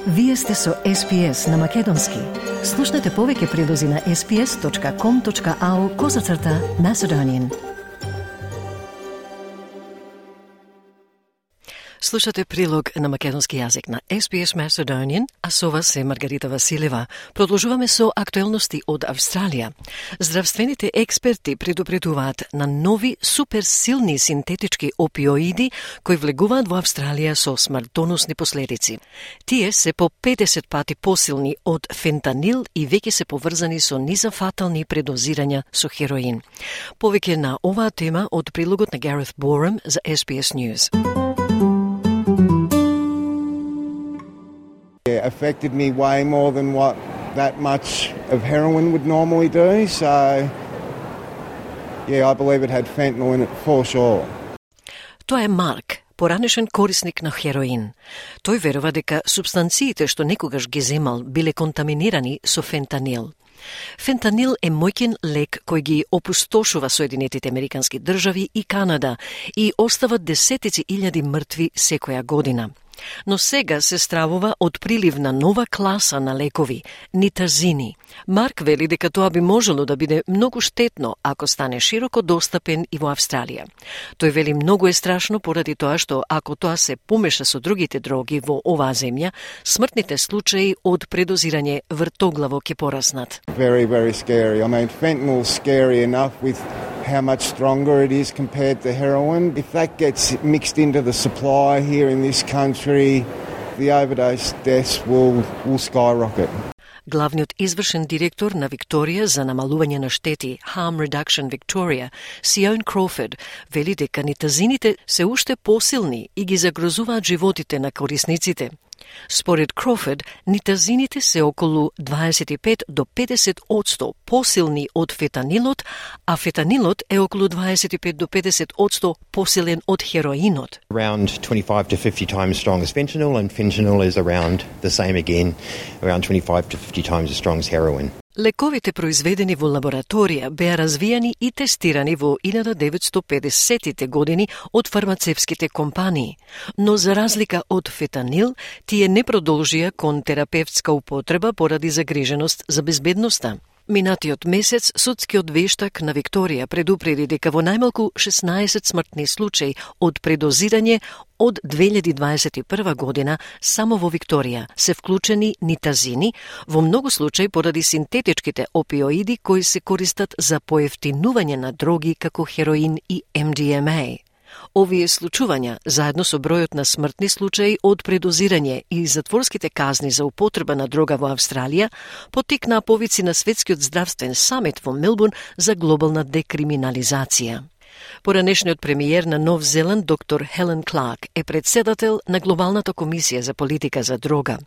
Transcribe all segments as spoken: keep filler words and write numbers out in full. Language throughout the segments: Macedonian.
Вие сте со Ес Би Ес на Македонски. Слушнете повеќе прилози на ес би ес точка ком точка ау козацрта Macedonian. Слушате прилог на македонски јазик на Ес Би Ес Macedonian, а со вас е Маргарита Василева. Продолжуваме со актуелности од Австралија. Здравствените експерти предупредуваат на нови суперсилни синтетички опиоиди кои влегуваат во Австралија со смртоносни последици. Тие се по педесет пати посилни од фентанил и веќе се поврзани со низафатални предозирања со хероин. Повеќе на оваа тема од прилогот на Гарет Борем за Ес Би Ес News. It affected me way more than what that much of heroin would normally do, so yeah, I believe it had fentanyl in it for sure. Тоа е Марк, поранешен корисник на хероин. Тој верува дека супстанциите што некогаш ги земал биле контаминирани со фентанил. Фентанил е моќен лек кој ги опустошува Соединетите Американски држави и Канада и остава десетици илјади мртви секоја година. Но сега се стравува од прилив на нова класа на лекови, нитазини. Марк вели дека тоа би можело да биде многу штетно ако стане широко достапен и во Австралија. Тој вели многу е страшно поради тоа што ако тоа се помеша со другите дроги во оваа земја, смртните случаи од предозирање вртоглаво ќе пораснат. Very, very scary. I mean, fentanyl's scary enough with how much stronger it is compared to heroin. If that gets mixed into the supply here in this country, the overdose deaths will, will skyrocket. Главниот извршен директор на Викторија за намалување на штети, Harm Reduction Victoria, Сион Кроуфорд, вели дека нитазините се уште посилни и ги загрозуваат животите на корисниците. Според Кроуфорд, нитазините се околу дваесет и пет до педесет одсто посилни од фентанилот, а фентанилот е околу дваесет и пет до педесет одсто посилен од хероинот. Around twenty-five to fifty times strong as fentanyl, and fentanyl is around the same again, around twenty-five to fifty times as strong as heroin. Лековите произведени во лабораторија беа развијани и тестирани во илјада деветстотини и педесеттите години од фармацевските компании, но за разлика од фентанил, тие не продолжија кон терапевтска употреба поради загриженост за безбедноста. Минатиот месец, судскиот вештак на Викторија предупреди дека во најмалку шеснаесет смртни случаи од предозирање од две илјади дваесет и прва година само во Викторија се вклучени нитазини, во многу случаи поради синтетичките опиоиди кои се користат за поевтинување на дроги како хероин и Ем Ди Ем А. Овие случувања, заедно со бројот на смртни случаи од предозирање и затворските казни за употреба на дрога во Австралија, поттикнаа повици на Светскиот здравствен самит во Мелбурн за глобална декриминализација. Поранешниот премиер на Нов Зеланд, доктор Хелен Кларк, е председател на Глобалната комисија за политика за дрога.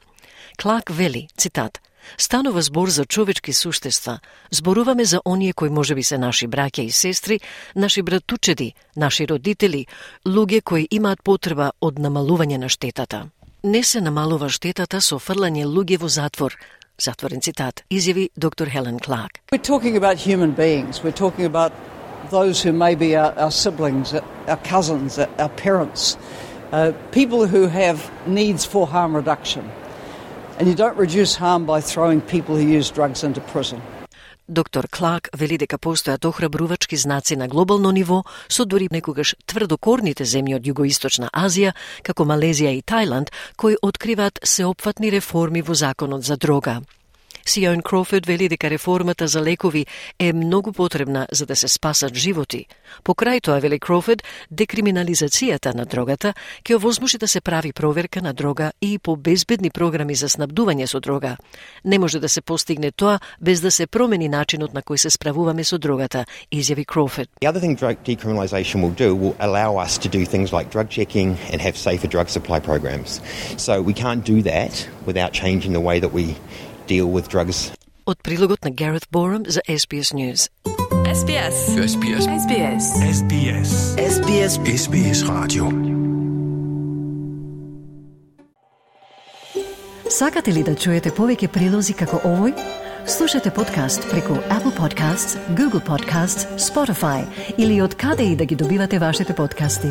Кларк вели, цитат, "Станува збор за човечки суштества. Зборуваме за оние кои можеби се наши браќа и сестри, наши братучеди, наши родители, луѓе кои имаат потреба од намалување на штетата. Не се намалува штетата со фрлање луѓе во затвор." Затворен цитат, изјави доктор Хелен Кларк. We're talking about human beings. We're talking about those who may be our, our siblings, our cousins, our parents, uh, people who have needs for harm reduction. And you don't reduce harm by throwing people who use drugs into prison. Доктор Кларк вели дека постојат охрабрувачки знаци на глобално ниво со дури некогаш тврдокорните земји од Југоисточна Азија, како Малезија и Тајланд, кои откриваат сеопфатни реформи во законот за дрога. Сион Кроуфорд вели дека реформата за лекови е многу потребна за да се спасат животи. Покрај тоа, вели Кроуфорд, декриминализацијата на дрогата ќе овозможи да се прави проверка на дрога и по безбедни програми за снабдување со дрога. Не може да се постигне тоа без да се промени начинот на кој се справуваме со дрогата, изјави Кроуфорд. The other thing drug decriminalisation will do will allow us to do things like drug checking and have safer drug supply programs. So we can't do that without changing the way that we deal with drugs. Од прилогот на Гарет Борем за Ес Би Ес News. Ес Би Ес. Ес Би Ес. Ес Би Ес. Ес Би Ес. Ес Би Ес. Ес Би Ес радио. Сакате ли да чуете повеќе прилози како овој? Слушате подкаст преку Apple Podcasts, Google Podcasts, Spotify или од каде и да ги добивате вашите подкасти.